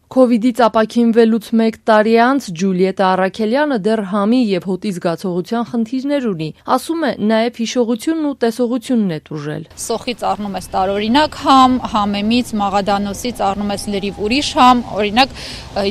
Քովիդից ապաքինվելուց 1 տարի անց Ջուլիետա Առաքելյանը դեռ համի եւ հոտի զգացողության խնդիրներ ունի, ասում է նաեւ հիշողությունն ու տեսողությունն է տուժել։ Սոխից առնում ես տարօրինակ համ, համեմից, մաղադանոսից առնում ես լրիվ ուրիշ համ, օրինակ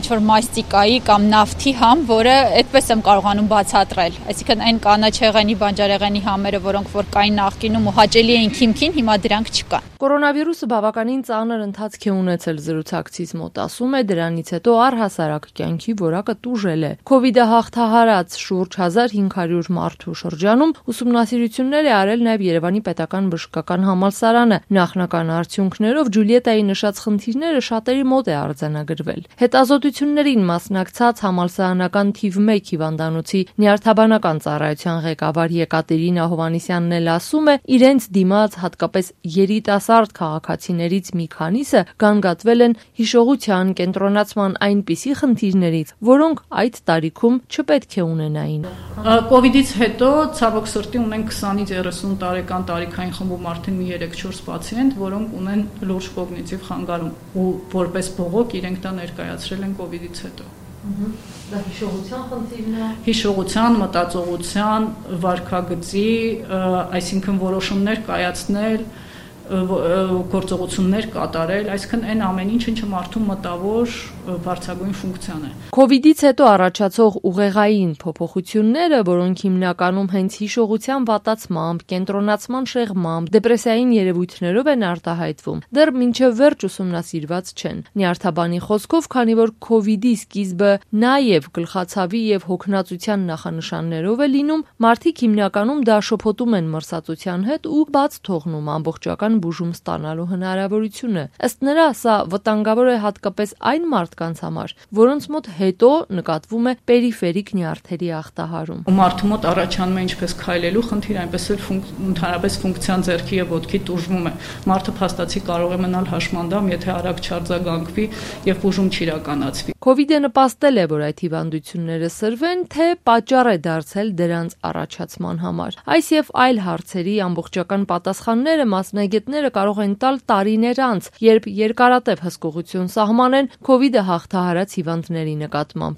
ինչ-որ մաստիկայի կամ նավթի համ, որը այդպես եմ կարողանում բացատրել։ Այսինքն այն կանաչեղենի, բանջարեղենի համերը, որոնք որ կային նախկինում ու հաճելի էին քիմքին, հիմա դրանք չկան։ Կորոնավիրուսը բավականին ծանր ընթացք է ունեցել զրուցակցից մոտ, ասում է դրանից հետո առհասարակ կյանքի որակը տուժել է։ Քովիդը հաղթահարած շուրջ 1500 մարդու շրջանում ուսումնասիրություններ է արել նաև Երևանի պետական բժշկական համալսարանը։ Նախնական արդյունքներով Ջուլիետայի նշած խնդիրները շատերի մոտ է արձանագրվել։ Հետազոտություններին մասնակցած համալսարանական թիվ 1 հիվանդանոցի նյարդաբանական ծառայության ղեկավար Եկատերինա Հովհաննիսյանն էլ ասում է, իրենց դիմաց հատկապես երիտասարդ քաղաքացիներից մի քանիսը գանգատվել են հիշողության, կենտրոնացման այնպիսի խնդիրներից, որոնք այդ տարիքում չպետք է ունենային։ Կովիդից հետո ցավոք սրտի ունենք 20-ից 30 տարեկան տարիքային խմբում արդեն մի 3-4 պացիենտ, որոնք ունեն լուրջ կոգնիտիվ խանգարում ու որպես բողոք իրենք դա ներկայացրել են կովիդից հետո։ Դա հիշողության խնդիրն է։ Հիշողության, մտածողության, վարքագծի, այսինքն որոշումներ կայացնել, գործողություններ կատարել, այսինքն այն ամեն ինչը մարդու մտավոր բարձրագույն ֆունկցիան է։ Քովիդից հետո առաջացող ուղեղային փոփոխությունները, որոնք հիմնականում հենց հիշողության վատացմամբ, կենտրոնացման շեղմամբ, դեպրեսիային երևույթներով են արտահայտվում, դեռ մինչև վերջ ուսումնասիրված չեն։ Նյարդաբանի խոսքով, քանի որ քովիդի սկիզբը նաև գլխացավի եւ հոգնածության նախանշաններով է լինում, մարդիկ հիմնականում դա շփոթում են մրսածության հետ ու բաց թողնում ամբողջական բուժում ստանալու հնարավորությունը։ Ըստ նրա, սա վտանգավոր է հատկապես այն մարդկանց համար, որոնց մոտ հետո նկատվում է պերիֆերիկ նյարդերի ախտահարում։ Մարդու մոտ առաջանում է ինչպես քայլելու խնդիր, այնպես էլ ընդհանրապես ֆունկցիան ձեռքի եւ ոտքի տուժվում է։ Մարդը փաստացի կարող է մնալ հաշմանդամ, եթե արագ չարձագանքվի եւ բուժում չիրականացվի։ Քովիդը նպաստել է, որ այդ հիվանդությունները սրվեն, թե պատճառ է դարձել դրանց առաջացման համար։ Այս եւ այլ հարցերի ամբողջական պատասխանները մասնագետները կարող են տալ տարիներ անց, երբ երկարատև հսկողություն սահմանեն քովիդը հաղթահարած հիվանդների նկատմամբ։